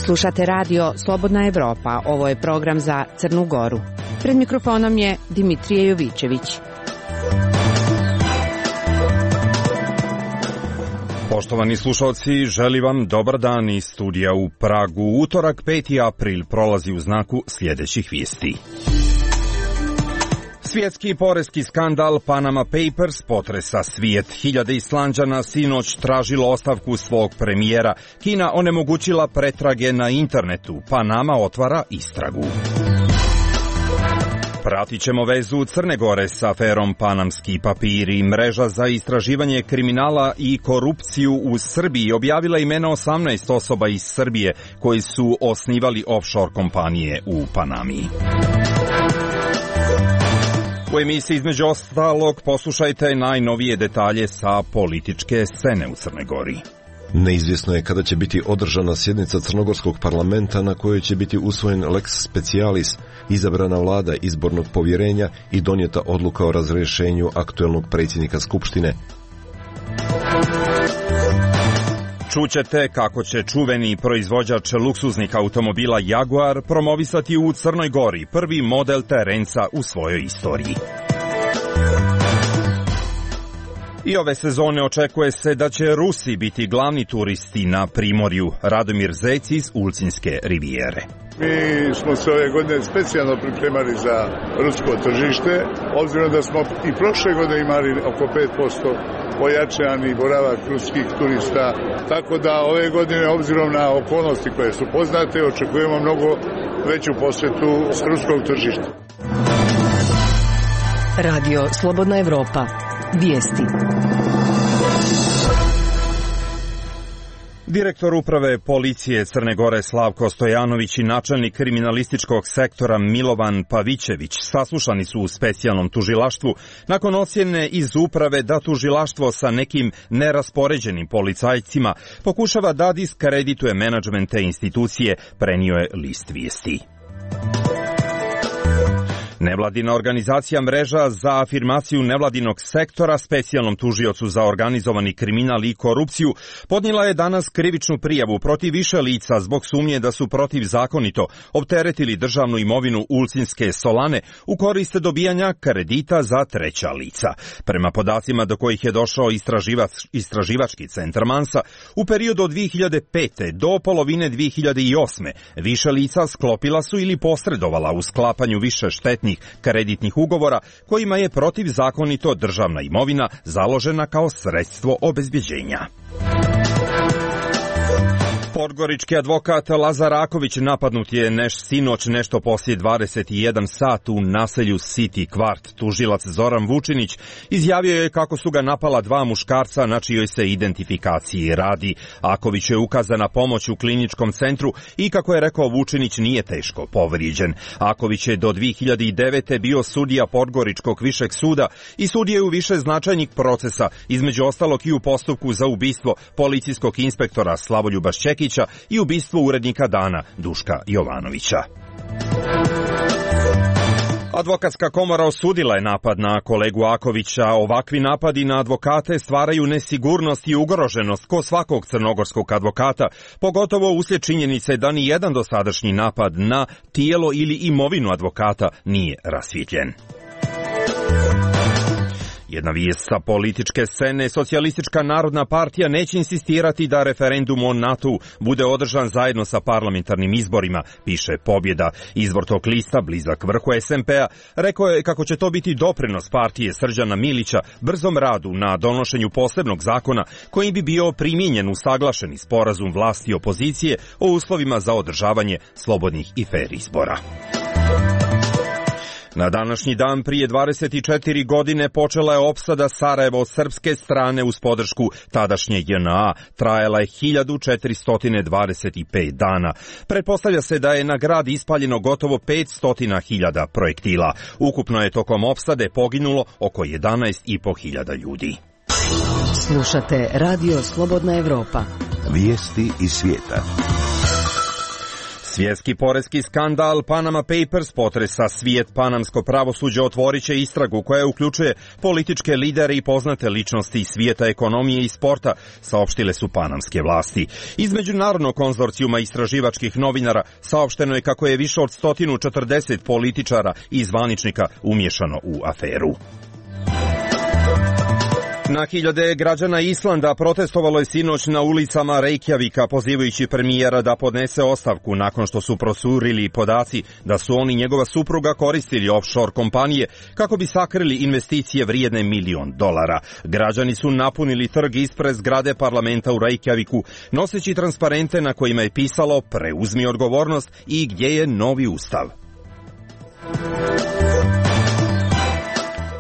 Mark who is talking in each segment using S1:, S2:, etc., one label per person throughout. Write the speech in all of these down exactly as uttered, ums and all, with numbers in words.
S1: Slušate radio Slobodna Evropa, ovo je program za Crnu Goru. Pred mikrofonom je Dimitrije Jovićević.
S2: Poštovani slušalci, želim vam dobar dan iz studija u Pragu. Utorak peti april prolazi u znaku sljedećih vijesti. Svjetski poreski skandal Panama Papers potresa svijet. Hiljade Islanđana sinoć tražilo ostavku svog premijera. Kina onemogućila pretrage na internetu. Panama otvara istragu. Pratit ćemo vezu Crne Gore s aferom Panamski papiri. Mreža za istraživanje kriminala i korupciju u Srbiji objavila imena osamnaest osoba iz Srbije koji su osnivali offshore kompanije u Panami. U emisiji između ostalog poslušajte najnovije detalje sa političke scene u Crnoj Gori.
S3: Neizvjesno je kada će biti održana sjednica Crnogorskog parlamenta na kojoj će biti usvojen lex specialis, izabrana vlada izbornog povjerenja i donijeta odluka o razrješenju aktuelnog predsjednika Skupštine.
S2: Čućete kako će čuveni proizvođač luksuznih automobila Jaguar promovisati u Crnoj Gori prvi model terenca u svojoj istoriji. I ove sezone očekuje se da će Rusi biti glavni turisti na primorju. Radomir Zec iz Ulcinske rivijere.
S4: Mi smo se ove godine specijalno pripremali za rusko tržište, obzirom da smo i prošle godine imali oko pet posto pojačani boravak ruskih turista, tako da ove godine, obzirom na okolnosti koje su poznate, očekujemo mnogo veću posjetu s ruskog tržišta.
S5: Radio Slobodna Evropa. Vijesti.
S2: Direktor uprave policije Crne Gore Slavko Stojanović i načelnik kriminalističkog sektora Milovan Pavićević saslušani su u specijalnom tužilaštvu nakon ocjene iz uprave da tužilaštvo sa nekim neraspoređenim policajcima pokušava da diskredituje menadžment te institucije, prenio je list vijesti. Nevladina organizacija Mreža za afirmaciju nevladinog sektora specijalnom tužiocu za organizovani kriminal i korupciju podnijela je danas krivičnu prijavu protiv više lica zbog sumnje da su protivzakonito opteretili državnu imovinu Ulcinske Solane u korist dobijanja kredita za treća lica. Prema podacima do kojih je došao istraživač, istraživački centar Mansa, u periodu od dvije hiljade pete do polovine dvije hiljade osme više lica sklopila su ili posredovala u sklapanju više štetnih kreditnih ugovora kojima je protivzakonito državna imovina založena kao sredstvo obezbjeđenja. Podgorički advokat Lazar Raković napadnut je neš sinoć nešto poslije dvadeset jedan sat u naselju City Kvart. Tužilac Zoran Vučinić izjavio je kako su ga napala dva muškarca na čijoj se identifikaciji radi. Aković je ukazana pomoć u kliničkom centru i kako je rekao Vučinić nije teško povrijeđen. Aković je do dvije hiljade devete bio sudija Podgoričkog višeg suda i sudije u više značajnih procesa, između ostalog i u postupku za ubistvo policijskog inspektora Slavoljuba Šćekića i ubistvo urednika Dana Duška Jovanovića. Advokatska komora osudila je napad na kolegu Akovića. Ovakvi napadi na advokate stvaraju nesigurnost i ugroženost kod svakog crnogorskog advokata, pogotovo uslijed činjenice da ni jedan dosadašnji napad na tijelo ili imovinu advokata nije rasvijetljen. Jedna vijest sa političke scene, Socijalistička narodna partija neće insistirati da referendum o NATO bude održan zajedno sa parlamentarnim izborima, piše Pobjeda. Izvor tog lista, blizak vrhu es em pe-a, rekao je kako će to biti doprinos partije Srđana Milića brzom radu na donošenju posebnog zakona kojim bi bio primijenjen usaglašeni sporazum vlasti i opozicije o uslovima za održavanje slobodnih i fer izbora. Na današnji dan prije dvadeset četiri godine počela je opsada Sarajeva od srpske strane uz podršku tadašnje je en a. Trajala je hiljadu četiristo dvadeset pet dana. Pretpostavlja se da je na grad ispaljeno gotovo petsto hiljada projektila. Ukupno je tokom opsade poginulo oko jedanaest i po hiljada ljudi.
S5: Slušate Radio Slobodna Evropa.
S6: Vijesti iz svijeta.
S2: Svjetski poreski skandal Panama Papers potresa svijet. Panamsko pravosuđe otvorit će istragu koja uključuje političke lidere i poznate ličnosti iz svijeta ekonomije i sporta, saopštile su panamske vlasti. Iz međunarodnog konzorcijuma istraživačkih novinara saopšteno je kako je više od sto četrdeset političara i zvaničnika umiješano u aferu. Na hiljade građana Islanda protestovalo je sinoć na ulicama Reykjavika pozivajući premijera da podnese ostavku nakon što su procurili podaci da su on i njegova supruga koristili offshore kompanije kako bi sakrili investicije vrijedne milion dolara. Građani su napunili trg ispred zgrade parlamenta u Reykjaviku noseći transparente na kojima je pisalo "Preuzmi odgovornost" i "Gdje je novi ustav".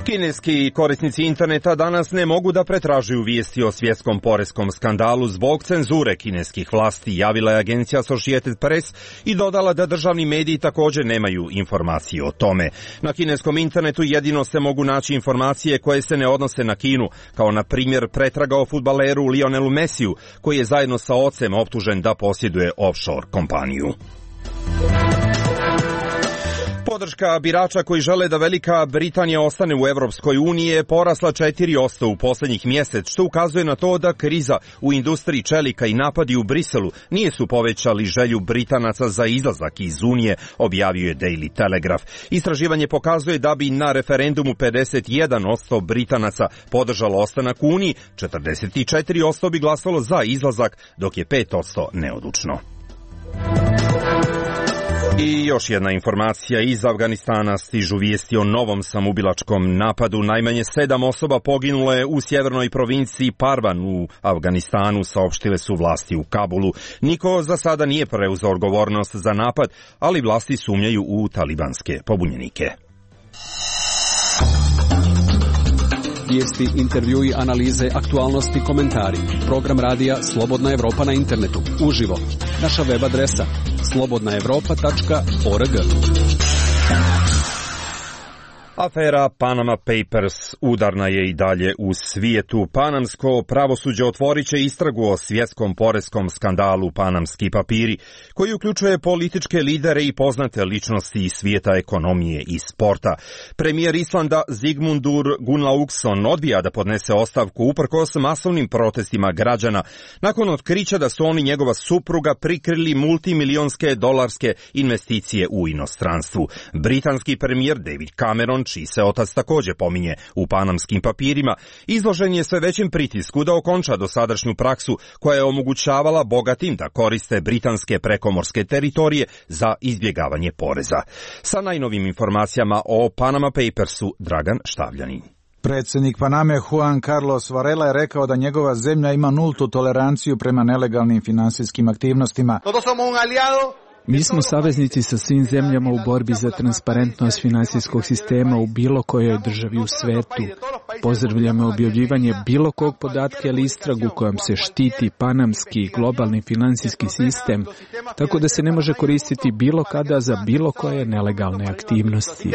S2: Kineski korisnici interneta danas ne mogu da pretražuju vijesti o svjetskom poreskom skandalu zbog cenzure kineskih vlasti, javila je agencija Associated Press i dodala da državni mediji također nemaju informacije o tome. Na kineskom internetu jedino se mogu naći informacije koje se ne odnose na Kinu, kao na primjer pretraga o fudbaleru Lionelu Messiju, koji je zajedno sa ocem optužen da posjeduje offshore kompaniju. Podrška birača koji žele da Velika Britanija ostane u Europskoj uniji je porasla četiri posto u posljednjih mjesec, što ukazuje na to da kriza u industriji čelika i napadi u Briselu nije su povećali želju Britanaca za izlazak iz Unije, objavio je Daily Telegraph. Istraživanje pokazuje da bi na referendumu pedeset jedan posto Britanaca podržalo ostanak u Uniji, četrdeset četiri posto bi glasalo za izlazak, dok je pet posto neodlučno. I još jedna informacija iz Afganistana, stižu vijesti o novom samoubilačkom napadu. Najmanje sedam osoba poginulo je u sjevernoj provinciji Parvan u Afganistanu, saopštile su vlasti u Kabulu. Niko za sada nije preuzeo odgovornost za napad, ali vlasti sumnjaju u talibanske pobunjenike.
S6: Vijesti, intervjui, analize, aktualnosti, komentari. Program radija Slobodna Evropa na internetu. Uživo. Naša web adresa slobodna evropa tačka org.
S2: Afera Panama Papers udarna je i dalje u svijetu. Panamsko pravosuđe otvorit će istragu o svjetskom poreskom skandalu Panamski papiri, koji uključuje političke lidere i poznate ličnosti iz svijeta ekonomije i sporta. Premijer Islanda Sigmundur Gunnlaugsson odbija da podnese ostavku uprkos masovnim protestima građana nakon otkrića da su on i njegova supruga prikrili multimilionske dolarske investicije u inostranstvu. Britanski premijer David Cameron, čiji se otac također pominje u panamskim papirima, izložen je sve većem pritisku da okonča dosadašnju praksu koja je omogućavala bogatim da koriste britanske prekomorske teritorije za izbjegavanje poreza. Sa najnovim informacijama o Panama Papersu Dragan Štavljanin.
S7: Predsjednik Paname Juan Carlos Varela je rekao da njegova zemlja ima nultu toleranciju prema nelegalnim finansijskim aktivnostima.
S8: Mi smo saveznici sa svim zemljama u borbi za transparentnost finansijskog sistema u bilo kojoj državi u svetu. Pozdravljamo objavljivanje bilo kog podatka ili istragu kojom se štiti panamski i globalni finansijski sistem, tako da se ne može koristiti bilo kada za bilo koje nelegalne aktivnosti.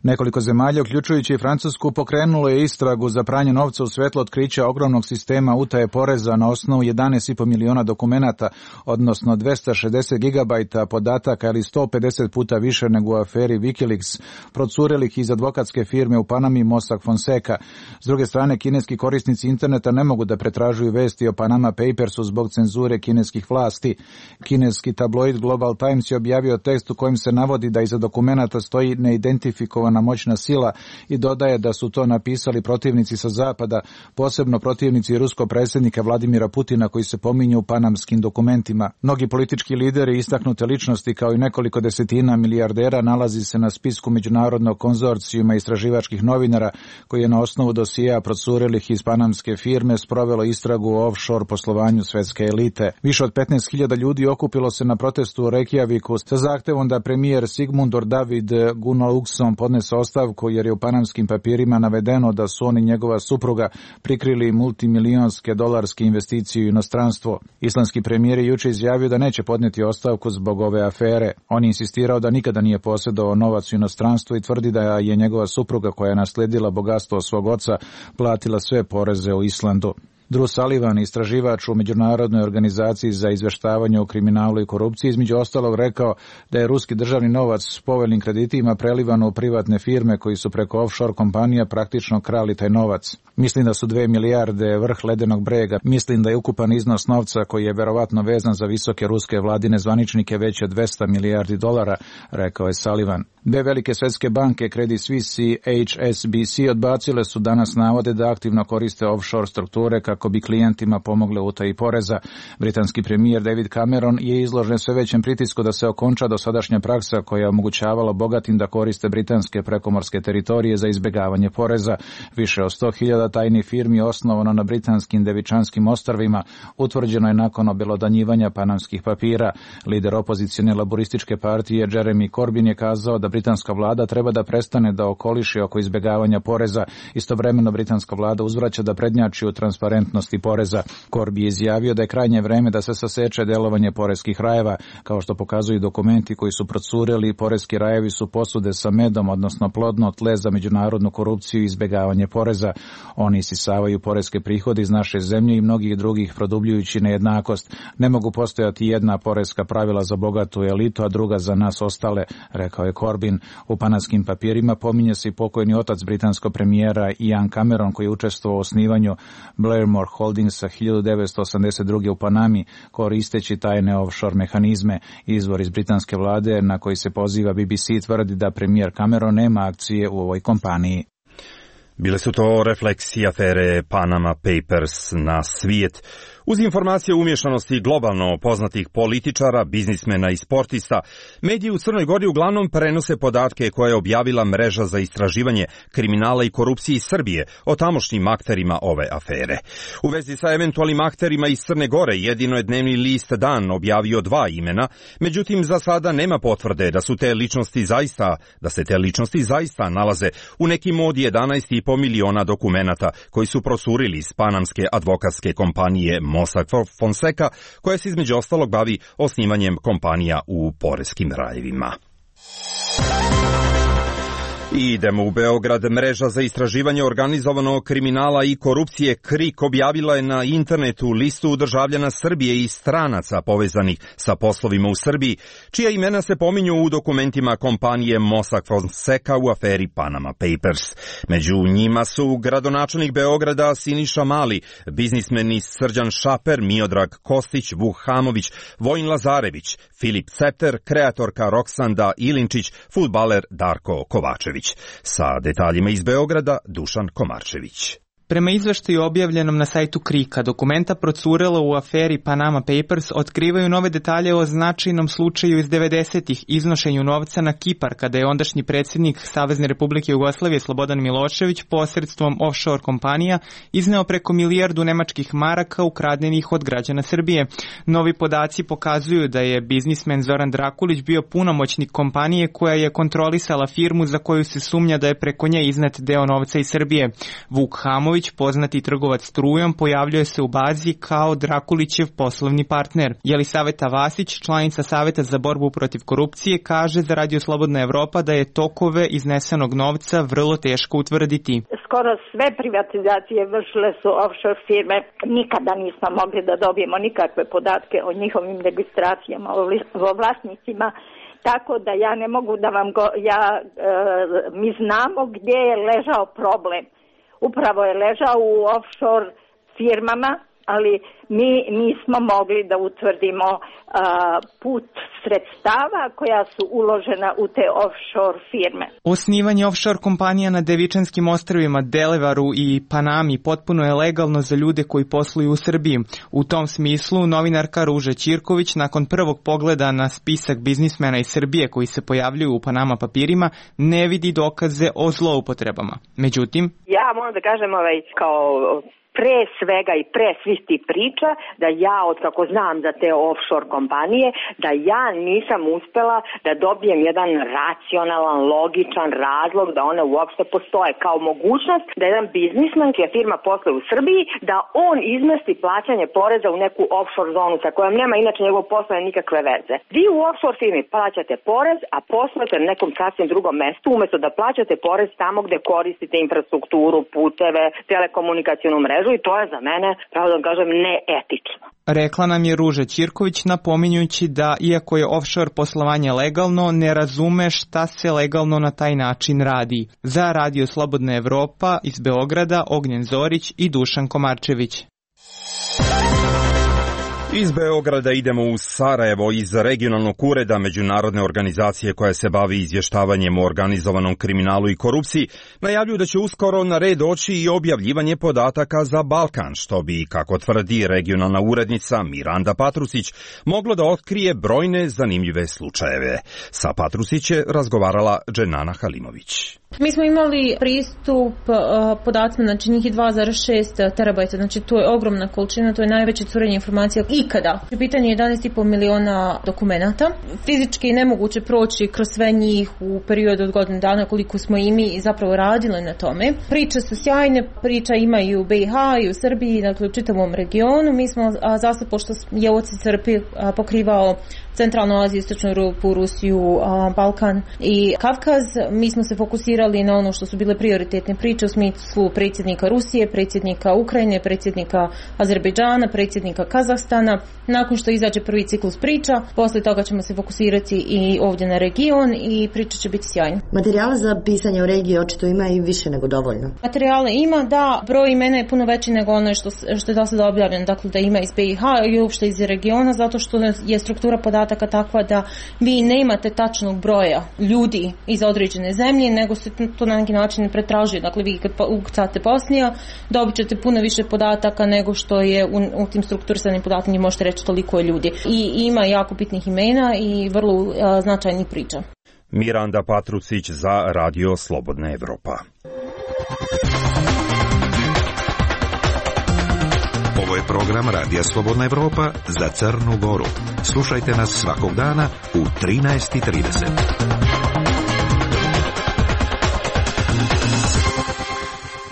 S7: Nekoliko zemalja, uključujući i Francusku, pokrenulo je istragu za pranje novca u svetlu otkrića ogromnog sistema utaje poreza na osnovu jedanaest i po miliona dokumenata, odnosno dvesta šezdeset gigabajta podataka ili sto pedeset puta više nego u aferi Wikileaks, procurelih iz advokatske firme u Panami Mossack Fonseca. S druge strane, kineski korisnici interneta ne mogu da pretražuju vesti o Panama Papersu zbog cenzure kineskih vlasti. Kineski tabloid Global Times je objavio tekst u kojem se navodi da iza dokumenata stoji neidentifikovana moćna sila i dodaje da su to napisali protivnici sa zapada, posebno protivnici ruskog predsjednika Vladimira Putina koji se pominju u panamskim dokumentima. Mnogi politički lideri i istaknute ličnosti kao i nekoliko desetina milijardera nalazi se na spisku međunarodnog konzorcijuma istraživačkih novinara koji je na osnovu dosija procurelih iz panamske firme sprovelo istragu o offshore poslovanju svetske elite. Više od petnaest hiljada ljudi okupilo se na protestu u Reykjaviku sa zahtevom da premijer Sigmundur David Gunnlaugsson podnese ostavku jer je u panamskim papirima navedeno da su on i njegova supruga prikrili multimilijonske dolarske investicije u inostranstvo. Islandski premijer je juče izjavio da neće podnijeti ostavku zbog ove afere. On je insistirao da nikada nije posjedovao novac u inostranstvu i tvrdi da je njegova supruga koja je nasledila bogatstvo svog oca platila sve poreze u Islandu. Drew Sullivan, istraživač u Međunarodnoj organizaciji za izveštavanje o kriminalu i korupciji, između ostalog rekao da je ruski državni novac s povoljnim kreditima prelivan u privatne firme koji su preko offshore kompanija praktično krali taj novac. Mislim da su dve milijarde vrh ledenog brega. Mislim da je ukupan iznos novca koji je verovatno vezan za visoke ruske vladine zvaničnike veći od dvesta milijardi dolara, rekao je Sullivan. Dve velike svetske banke, Credit Suisse i H S B C, odbacile su danas navode da aktivno koriste offshore strukture kako bi klijentima pomogle u utaji poreza. Britanski premijer David Cameron je izložen sve većem pritisku da se okonča dosadašnja praksa koja je omogućavala bogatim da koriste britanske prekomorske teritorije za izbjegavanje poreza. Više od sto hiljada tajnih firmi osnovano na britanskim Devičanskim ostrvima utvrđeno je nakon obelodanjivanja panamskih papira. Lider opozicione laborističke partije Jeremy Corbyn je kazao da britanska vlada treba da prestane da okoliši oko izbjegavanja poreza. Istovremeno britanska vlada uzvraća da prednjači u transparentnosti poreza. Corby je izjavio da je krajnje vreme da se saseče delovanje poreskih rajeva. Kao što pokazuju dokumenti koji su procureli, poreski rajevi su posude sa medom, odnosno plodno tle za međunarodnu korupciju i izbjegavanje poreza. Oni isisavaju poreske prihode iz naše zemlje i mnogih drugih, produbljujući nejednakost. Ne mogu postojati jedna poreska pravila za bogatu elitu, a druga za nas ostale, rekao je Corbyn. U pananskim papirima pominje se i pokojni otac britanskog premijera Ian Cameron, koji je učestvovao u osnivanju Blairmore Holdingsa hiljadu devetsto osamdeset druge u Panami, koristeći tajne offshore mehanizme. Izvor iz britanske vlade na koji se poziva B B C tvrdi da premijer Cameron nema akcije u ovoj kompaniji.
S2: Bile su to refleksije afere Panama Papers na svijet. Uz informacije o umješanosti globalno poznatih političara, biznismena i sportista, mediji u Crnoj Gori uglavnom prenose podatke koje je objavila mreža za istraživanje kriminala i korupcije iz Srbije o tamošnjim akterima ove afere. U vezi sa eventualnim akterima iz Crne Gore jedino je dnevni list Dan objavio dva imena, međutim za sada nema potvrde da su te ličnosti zaista, da se te ličnosti zaista nalaze u nekim od jedanaest i po miliona dokumenata koji su procurili iz panamske advokatske kompanije Mossack Fonseca, koja se između ostalog bavi osnivanjem kompanija u poreskim rajevima. I idemo u Beograd. Mreža za istraživanje organizovanog kriminala i korupcije KRIK objavila je na internetu listu državljana Srbije i stranaca povezanih sa poslovima u Srbiji, čija imena se pominju u dokumentima kompanije Mossack Fonseca u aferi Panama Papers. Među njima su gradonačelnik Beograda Siniša Mali, biznismeni Srđan Šaper, Miodrag Kostić, Vuk Hamović, Vojin Lazarević, Filip Cepter, kreatorka Roksanda Ilinčić, fudbaler Darko Kovačević. Sa detaljima iz Beograda, Dušan Komarčević.
S9: Prema izveštaju objavljenom na sajtu KRIK-a, dokumenta procurela u aferi Panama Papers otkrivaju nove detalje o značajnom slučaju iz devedesetih, iznošenju novca na Kipar, kada je ondašnji predsjednik Savezne Republike Jugoslavije Slobodan Milošević posredstvom offshore kompanija izneo preko milijardu nemačkih maraka ukradenih od građana Srbije. Novi podaci pokazuju da je biznismen Zoran Drakulić bio punomoćnik kompanije koja je kontrolisala firmu za koju se sumnja da je preko nje iznet deo novca iz Srbije. Vuk Hamović, poznati trgovac strujom, pojavljuje se u bazi kao Drakulićev poslovni partner. Jelisaveta Vasić, članica Saveta za borbu protiv korupcije, kaže za Radio Slobodna Evropa da je tokove iznesenog novca vrlo teško utvrditi.
S10: Skoro sve privatizacije vršile su offshore firme. Nikada nismo mogli da dobijemo nikakve podatke o njihovim registracijama, o vlasnicima. Tako da ja ne mogu da vam go... Ja, e, mi znamo gdje je ležao problem. Upravo je ležao u offshore firmama, ali mi nismo mogli da utvrdimo uh, put sredstava koja su uložena u te offshore firme.
S9: Osnivanje offshore kompanija na Devičanskim ostrvima, Delevaru i Panami potpuno je legalno za ljude koji posluju u Srbiji. U tom smislu novinarka Ruža Ćirković nakon prvog pogleda na spisak biznismena iz Srbije koji se pojavljuju u Panama papirima ne vidi dokaze o zloupotrebama. Međutim,
S11: ja moram da kažem ovaj, kao pre svega i pre svih ti priča, da ja, od kako znam za te offshore kompanije, da ja nisam uspela da dobijem jedan racionalan, logičan razlog da one uopšte postoje kao mogućnost da jedan biznisman, čija firma posluje u Srbiji, da on izmesti plaćanje poreza u neku offshore zonu sa kojom nema inače njegov posla nikakve veze. Vi u offshore firmi plaćate porez, a poslujete na nekom sasvim drugom mestu, umjesto da plaćate porez tamo gde koristite infrastrukturu, puteve, telekomunikacijonu mrežu, mrežu i to je za mene, pravo da kažem, neetično.
S9: Rekla nam je Ruža Ćirković, napominjući da, iako je offshore poslovanje legalno, ne razume šta se legalno na taj način radi. Za Radio Slobodna Evropa iz Beograda Ognjen Zorić i Dušan Komarčević.
S2: Iz Beograda idemo u Sarajevo. Iz regionalnog ureda međunarodne organizacije koja se bavi izvještavanjem o organizovanom kriminalu i korupciji najavljuju da će uskoro na red doći i objavljivanje podataka za Balkan, što bi, kako tvrdi regionalna urednica Miranda Patrusić, moglo da otkrije brojne zanimljive slučajeve. Sa Patrusić je razgovarala Dženana Halimović.
S12: Mi smo imali pristup uh, podacima, znači njih je dva zarez šest terabajta, znači to je ogromna količina, to je najveće curenje informacija ikada. Pitanje je jedanaest i po miliona dokumenata. Fizički je nemoguće proći kroz sve njih u periodu od godine dana koliko smo i mi zapravo radili na tome. Priče su sjajne, priča ima i u B i H i u Srbiji, dakle u čitavom regionu. Mi smo a, zastav, pošto je O C C R P a, pokrivao Centralnu Aziju, Istočnu Europu, Rusiju, a, Balkan i Kavkaz, mi smo se fokusirali na ono što su bile prioritetne priče u smislu predsjednika Rusije, predsjednika Ukrajine, predsjednika Azerbejdžana, predsjednika Kazahstana. Nakon što izađe prvi ciklus priča, poslije toga ćemo se fokusirati i ovdje na region i priča će biti sjajna.
S13: Materijala za pisanje o regiji očito ima i više nego dovoljno.
S12: Materijale ima, da, broj imena je puno veći nego ono što, što je do sada objavljeno, dakle da ima iz B i H i uopšte iz regiona, zato što je struktura podataka takva da vi nemate tačnog broja ljudi iz određene zemlje, nego se to na neki način pretražuje. Dakle, vi kad ukucate Bosnija, dobit ćete puno više podataka nego što je u, u tim strukturisanim podataka, možete reći toliko je ljudi. I ima jako bitnih imena i vrlo uh, značajnih priča.
S2: Miranda Patrusić za Radio Slobodna Evropa.
S14: Ovo je program Radija Slobodna Evropa za Crnu Goru. Slušajte nas svakog dana u trinaest i trideset.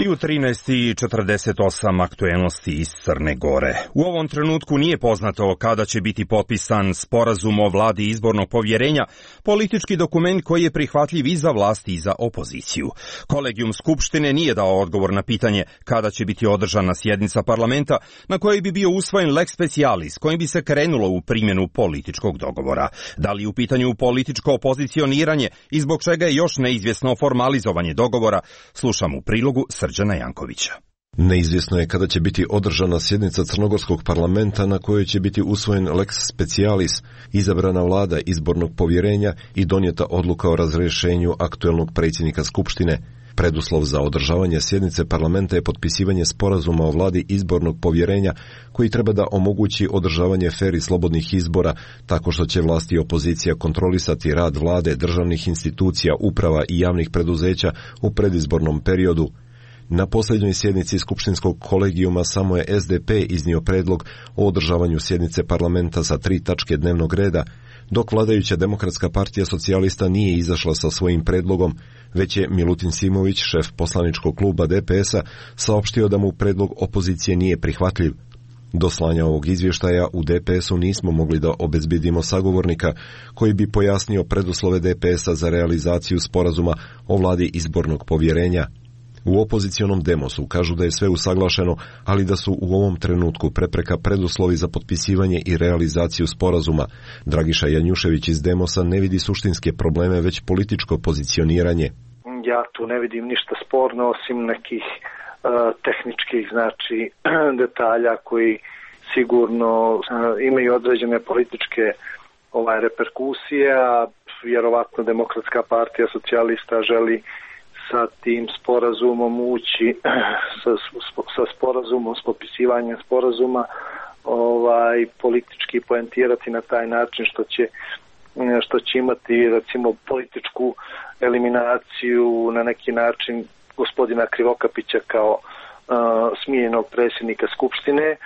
S2: I u trinaest i četrdeset osam aktuelnosti iz Crne Gore. U ovom trenutku nije poznato kada će biti potpisan sporazum o vladi izbornog povjerenja, politički dokument koji je prihvatljiv i za vlast i za opoziciju. Kolegijum Skupštine nije dao odgovor na pitanje kada će biti održana sjednica parlamenta na kojoj bi bio usvojen lex specialis kojim bi se krenulo u primjenu političkog dogovora. Da li u pitanju političko opozicioniranje i zbog čega je još neizvjesno formalizovanje dogovora, slušam u prilogu Srđana Jankovića.
S3: Neizvjesno je kada će biti održana sjednica Crnogorskog parlamenta na kojoj će biti usvojen lex specialis, izabrana vlada izbornog povjerenja i donijeta odluka o razrješenju aktuelnog predsjednika Skupštine. Preduslov za održavanje sjednice parlamenta je potpisivanje sporazuma o vladi izbornog povjerenja koji treba da omogući održavanje fer i slobodnih izbora tako što će vlast i opozicija kontrolisati rad vlade, državnih institucija, uprava i javnih preduzeća u predizbornom periodu. Na posljednjoj sjednici Skupštinskog kolegijuma samo je S D P iznio predlog o održavanju sjednice parlamenta sa tri tačke dnevnog reda, dok vladajuća Demokratska partija socijalista nije izašla sa svojim predlogom, već je Milutin Simović, šef poslaničkog kluba D P S-a, saopštio da mu predlog opozicije nije prihvatljiv. Do slanja ovog izvještaja u D P S-u nismo mogli da obezbedimo sagovornika koji bi pojasnio preduslove D P S-a za realizaciju sporazuma o vladi izbornog povjerenja. U opozicionom Demosu kažu da je sve usaglašeno, ali da su u ovom trenutku prepreka preduslovi za potpisivanje i realizaciju sporazuma. Dragiša Janjušević iz Demosa ne vidi suštinske probleme, već političko pozicioniranje.
S15: Ja tu ne vidim ništa sporno osim nekih uh, tehničkih znači detalja koji sigurno uh, imaju određene političke ovaj reperkusije, a vjerovatno Demokratska partija socijalista želi sa tim sporazumom ući, sa, sa sporazumom, s potpisivanjem sporazuma, ovaj, politički poentirati na taj način što će, što će imati recimo političku eliminaciju na neki način gospodina Krivokapića kao uh, smijenjenog predsjednika Skupštine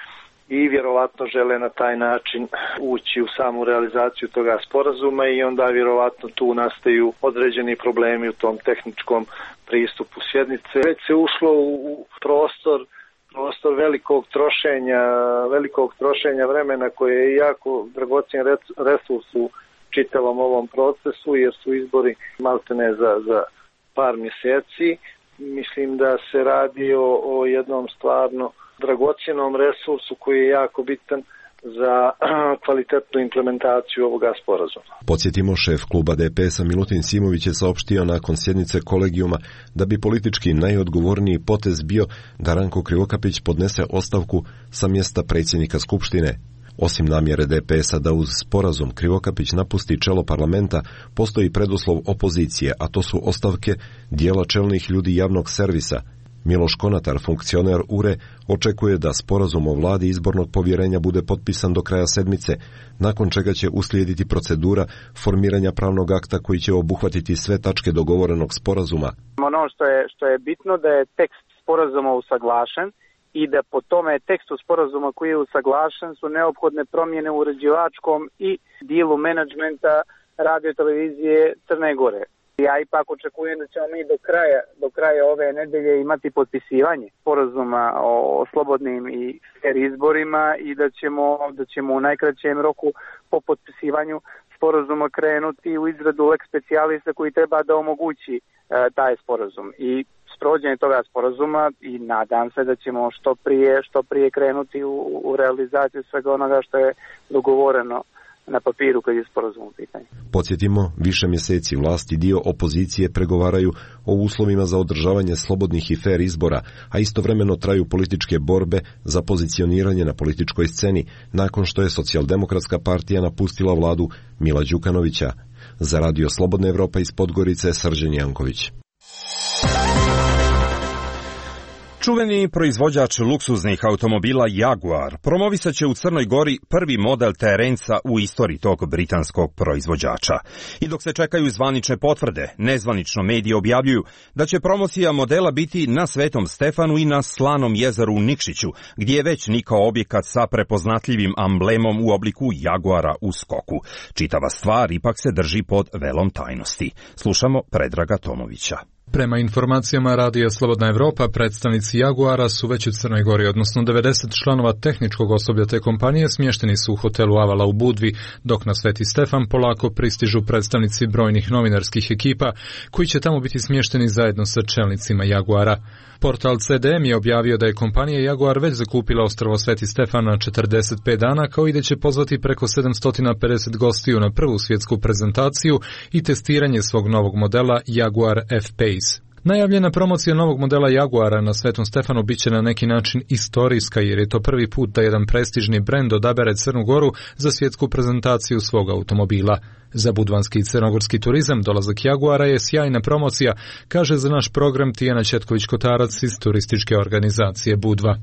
S15: i vjerovatno žele na taj način ući u samu realizaciju toga sporazuma i onda vjerovatno tu nastaju određeni problemi u tom tehničkom pristupu sjednice. Već se ušlo u prostor, prostor velikog trošenja, velikog trošenja vremena koje je jako dragocjen resurs u čitavom ovom procesu jer su izbori maltene za, za par mjeseci. Mislim da se radi o, o jednom stvarno dragocjenom resursu koji je jako bitan za kvalitetnu implementaciju ovoga sporazuma.
S3: Podsjetimo, šef kluba D P S-a Milutin Simović je saopštio nakon sjednice kolegijuma da bi politički najodgovorniji potez bio da Ranko Krivokapić podnese ostavku sa mjesta predsjednika Skupštine. Osim namjere D P S-a da uz sporazum Krivokapić napusti čelo parlamenta, postoji preduslov opozicije, a to su ostavke dijela čelnih ljudi javnog servisa. Miloš Konatar, funkcioner U R E, očekuje da sporazum o vladi izbornog povjerenja bude potpisan do kraja sedmice, nakon čega će uslijediti procedura formiranja pravnog akta koji će obuhvatiti sve tačke dogovorenog sporazuma.
S16: Ono što je, što je bitno da je tekst sporazuma usaglašen i da po tome tekstu sporazuma koji je usaglašen su neophodne promjene u uređivačkom i dijelu menadžmenta radio televizije Crne Gore. Ja ipak očekujem da ćemo mi do kraja, do kraja ove nedelje imati potpisivanje sporazuma o slobodnim i fer izborima i da ćemo, da ćemo u najkraćem roku po potpisivanju sporazuma krenuti u izradu lex specialisa koji treba da omogući e, taj sporazum. I sprovođenje toga sporazuma i nadam se da ćemo što prije, što prije krenuti u, u realizaciju svega onoga što je dogovoreno na papiru kad je sporazum u pitanju.
S3: Podsjetimo, više mjeseci vlasti dio opozicije pregovaraju o uslovima za održavanje slobodnih i fer izbora, a istovremeno traju političke borbe za pozicioniranje na političkoj sceni, nakon što je Socijaldemokratska partija napustila vladu Mila Đukanovića. Za Radio Slobodna Evropa iz Podgorice, Srđan Janković.
S2: Čuveni proizvođač luksuznih automobila Jaguar promovisat će u Crnoj Gori prvi model terenca u istoriji tog britanskog proizvođača. I dok se čekaju zvanične potvrde, nezvanično mediji objavljuju da će promocija modela biti na Svetom Stefanu i na Slanom jezeru u Nikšiću, gdje je već nikao objekat sa prepoznatljivim amblemom u obliku Jaguara u skoku. Čitava stvar ipak se drži pod velom tajnosti. Slušamo Predraga Tomovića.
S17: Prema informacijama Radija Slobodna Evropa, predstavnici Jaguara su već u Crnoj Gori, odnosno devedeset članova tehničkog osoblja te kompanije smješteni su u hotelu Avala u Budvi, dok na Sveti Stefan polako pristižu predstavnici brojnih novinarskih ekipa, koji će tamo biti smješteni zajedno sa čelnicima Jaguara. Portal C D M je objavio da je kompanija Jaguar već zakupila ostrvo Sveti Stefan na četrdeset pet dana, kao i da će pozvati preko sedamsto pedeset gostiju na prvu svjetsku prezentaciju i testiranje svog novog modela Jaguar F-Pace. Najavljena promocija novog modela Jaguara na Svetom Stefanu biće na neki način istorijska, jer je to prvi put da jedan prestižni brend odabere Crnu Goru za svjetsku prezentaciju svog automobila. Za budvanski i crnogorski turizam dolazak Jaguara je sjajna promocija, kaže za naš program Tijana Četković-Kotarac iz turističke organizacije Budva.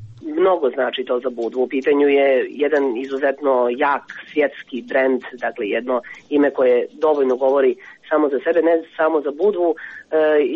S18: Mnogo znači to za Budvu. U pitanju je jedan izuzetno jak svjetski brend, dakle jedno ime koje dovoljno govori samo za sebe, ne samo za Budvu,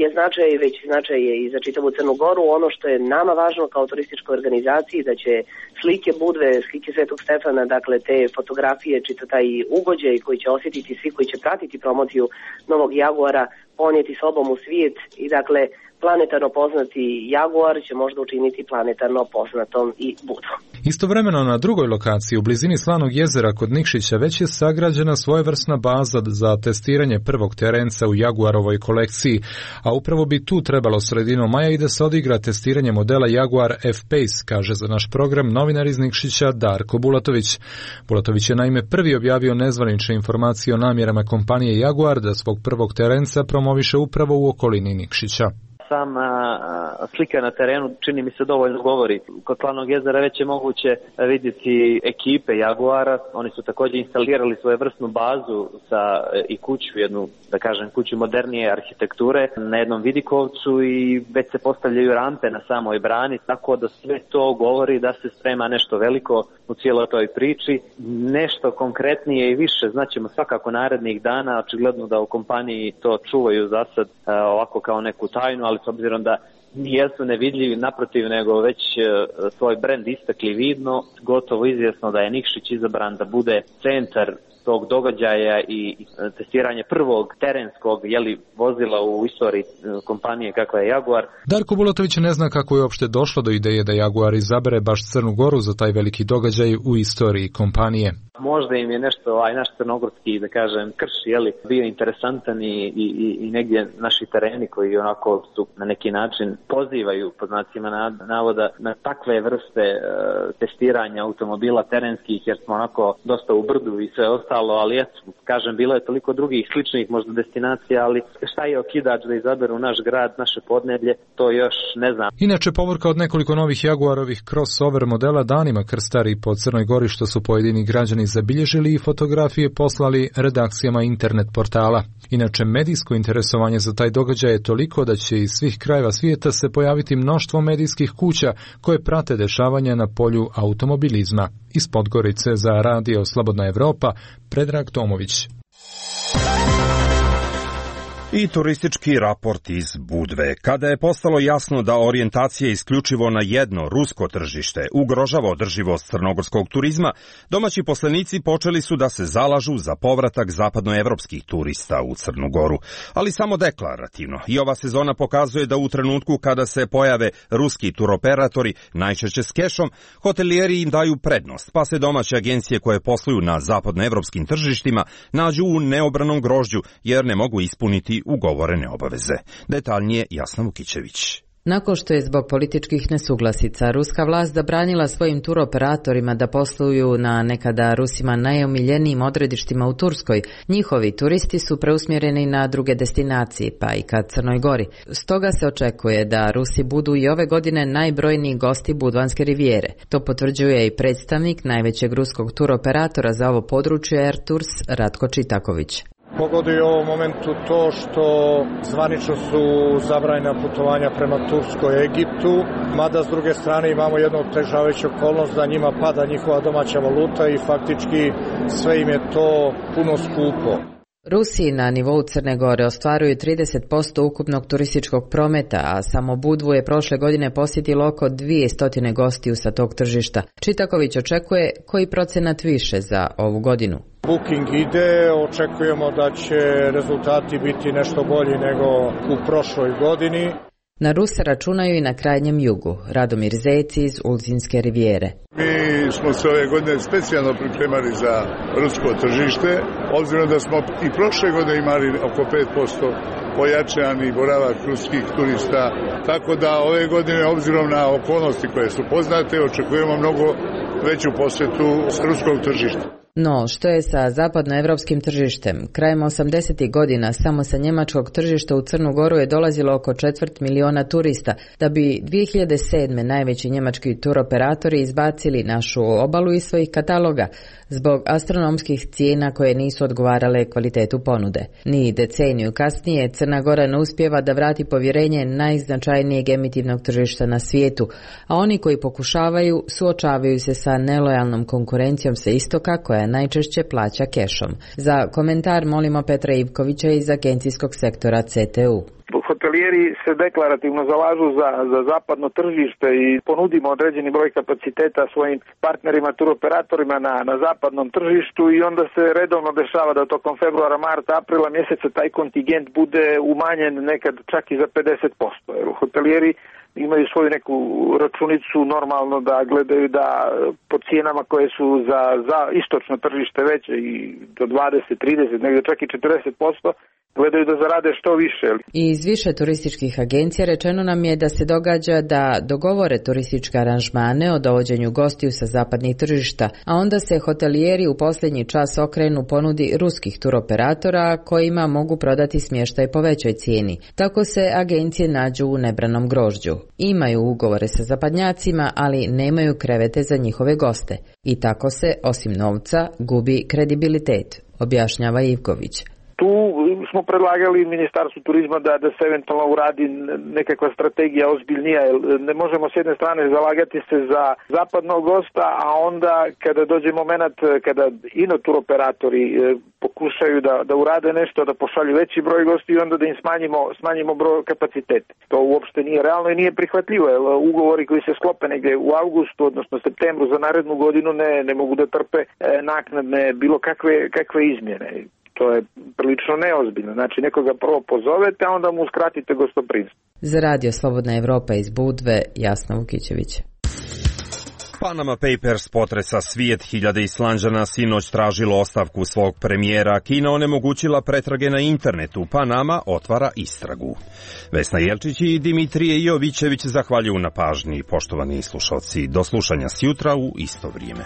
S18: je značaj, već značaj je i za čitavu Crnu Goru. Ono što je nama važno kao turističkoj organizaciji, da će slike Budve, slike Svetog Stefana, dakle te fotografije, čita taj ugođaj koji će osjetiti svi koji će pratiti promociju novog Jaguara, ponijeti sobom u svijet i dakle planetarno poznati Jaguar će možda učiniti planetarno poznatom i Budvu.
S17: Istovremeno na drugoj lokaciji u blizini Slanog jezera kod Nikšića već je sagrađena svojevrsna baza za testiranje prvog terenca u Jaguarovoj kolekciji, a upravo bi tu trebalo sredinom maja i da se odigra testiranje modela Jaguar F-Pace, kaže za naš program novinar iz Nikšića Darko Bulatović. Bulatović je naime prvi objavio nezvanične informacije o namjerama kompanije Jaguar da svog prvog terenca promoviše upravo u okolini Nikšića.
S19: Sama slika na terenu čini mi se dovoljno govori. Kod Slanog jezera već je moguće vidjeti ekipe Jaguara. Oni su također instalirali svoju vrstnu bazu sa i kuću, jednu, da kažem, kuću modernije arhitekture na jednom vidikovcu i već se postavljaju rampe na samoj brani, tako da sve to govori da se sprema nešto veliko u cijeloj toj priči. Nešto konkretnije i više znaćemo svakako narednih dana. Očigledno da u kompaniji to čuvaju za sad ovako kao neku tajnu, ali s obzirom da nijesu nevidljivi, naprotiv, nego već svoj brend istakli vidno, gotovo izvjesno da je Nikšić izabran da bude centar tog događaja i testiranje prvog terenskog jeli, vozila u istoriji kompanije kakva je Jaguar.
S17: Darko Bulatović ne zna kako je uopšte došlo do ideje da Jaguar izabere baš Crnu Goru za taj veliki događaj u istoriji kompanije.
S19: Možda im je nešto, ovaj naš crnogorski, da kažem, krš, jeli, bio interesantan i, i, i negdje naši tereni koji onako su na neki način pozivaju, pod znacima navoda, na takve vrste e, testiranja automobila terenskih, jer smo onako dosta u brdu i sve ostalo, ali eto, kažem, bilo je toliko drugih sličnih možda destinacija, ali šta je okidač da izaberu naš grad, naše podneblje, to još ne znam.
S17: Inače, povorka od nekoliko novih Jaguarovih crossover modela danima krstari po Crnoj Gori, što su pojedini građani zabilježili i fotografije poslali redakcijama internet portala. Inače, medijsko interesovanje za taj događaj je toliko da će iz svih krajeva svijeta se pojaviti mnoštvo medijskih kuća koje prate dešavanja na polju automobilizma. Iz Podgorice za Radio Slobodna Evropa, Predrag Tomović.
S2: I turistički raport iz Budve. Kada je postalo jasno da orijentacija isključivo na jedno rusko tržište ugrožava održivost crnogorskog turizma, domaći poslenici počeli su da se zalažu za povratak zapadnoevropskih turista u Crnu Goru, ali samo deklarativno. I ova sezona pokazuje da u trenutku kada se pojave ruski turoperatori, najčešće s kešom, hotelijeri im daju prednost, pa se domaće agencije koje posluju na zapadnoevropskim tržištima nađu u neobranom grožđu jer ne mogu ispuniti ugovorene obaveze. Detaljnije Jasna Vukićević.
S20: Nakon što je zbog političkih nesuglasica ruska vlast zabranila svojim turoperatorima da posluju na nekada Rusima najomiljenijim odredištima u Turskoj, njihovi turisti su preusmjereni na druge destinacije, pa i ka Crnoj Gori. Stoga se očekuje da Rusi budu i ove godine najbrojniji gosti Budvanske rivijere. To potvrđuje i predstavnik najvećeg ruskog turoperatora za ovo područje Air Tours Ratko Čitaković.
S21: Pogoduje u ovom momentu to što zvanično su zabranjena putovanja prema Turskoj i Egiptu, mada s druge strane imamo jednu otežavajuću okolnost da njima pada njihova domaća valuta i faktički sve im je to puno skupo.
S20: Rusi na nivou Crne Gore ostvaruju trideset posto ukupnog turističkog prometa, a samo Budvu je prošle godine posjetilo oko dvjesto gostiju sa tog tržišta. Čitaković očekuje koji procenat više za ovu godinu.
S21: Booking ide, očekujemo da će rezultati biti nešto bolji nego u prošloj godini.
S20: Na Ruse računaju i na krajnjem jugu. Radomir Zec iz Ulcinske rivijere.
S4: Mi smo se ove godine specijalno pripremali za rusko tržište, obzirom da smo i prošle godine imali oko pet posto pojačani boravak ruskih turista, tako da ove godine, obzirom na okolnosti koje su poznate, očekujemo mnogo veću posjetu s ruskog tržišta.
S20: No, što je sa zapadnoevropskim tržištem? Krajem osamdesetih godina samo sa njemačkog tržišta u Crnu Goru je dolazilo oko četvrt miliona turista, da bi dvije hiljade sedme najveći njemački turoperatori izbacili našu obalu iz svojih kataloga zbog astronomskih cijena koje nisu odgovarale kvalitetu ponude. Ni deceniju kasnije Crna Gora ne uspijeva da vrati povjerenje najznačajnijeg emitivnog tržišta na svijetu, a oni koji pokušavaju suočavaju se sa nelojalnom konkurencijom sa istoka koja najčešće plaća kešom. Za komentar molimo Petra Ivkovića iz agencijskog sektora C T U.
S16: Hotelijeri se deklarativno zalažu za, za zapadno tržište i ponudimo određeni broj kapaciteta svojim partnerima, turoperatorima na, na zapadnom tržištu i onda se redovno dešava da tokom februara, marta, aprila mjeseca taj kontingent bude umanjen nekad čak i za pedeset posto. Jer hotelijeri imaju svoju neku računicu normalno da gledaju da po cijenama koje su za, za istočno tržište veće i do dvadeset, trideset, negdje čak i četrdeset posto, gledaju da zarade što više.
S20: Iz više turističkih agencija rečeno nam je da se događa da dogovore turističke aranžmane o dovođenju gostiju sa zapadnih tržišta, a onda se hotelijeri u posljednji čas okrenu ponudi ruskih turoperatora kojima mogu prodati smještaj po većoj cijeni. Tako se agencije nađu u nebranom grožđu. Imaju ugovore sa zapadnjacima, ali nemaju krevete za njihove goste. I tako se, osim novca, gubi kredibilitet, objašnjava Ivković.
S1: Tu smo predlagali Ministarstvu turizma da, da se eventualno uradi nekakva strategija ozbiljnija, jer ne možemo s jedne strane zalagati se za zapadnog gosta, a onda kada dođe moment kada ino turoperatori pokušaju da, da urade nešto, da pošalju veći broj gosti i onda da im smanjimo, smanjimo broj kapacitet. To uopšte nije realno i nije prihvatljivo, jer ugovori koji se sklope negdje u avgustu, odnosno septembru za narednu godinu ne, ne mogu da trpe naknadne bilo kakve, kakve izmjene. To je prilično neozbiljno. Znači nekoga prvo pozovete, a onda mu uskratite gostoprimstvo.
S20: Za Radio Slobodna Evropa iz Budve, Jasna Vukićević.
S2: Panama Papers potresa svijet, hiljade Islanđana sinoć tražilo ostavku svog premijera, Kina onemogućila pretrage na internetu, Panama otvara istragu. Vesna Jelčić i Dimitrije Jovićević zahvaljuju na pažnji, poštovani slušalci. Do slušanja sjutra u isto vrijeme.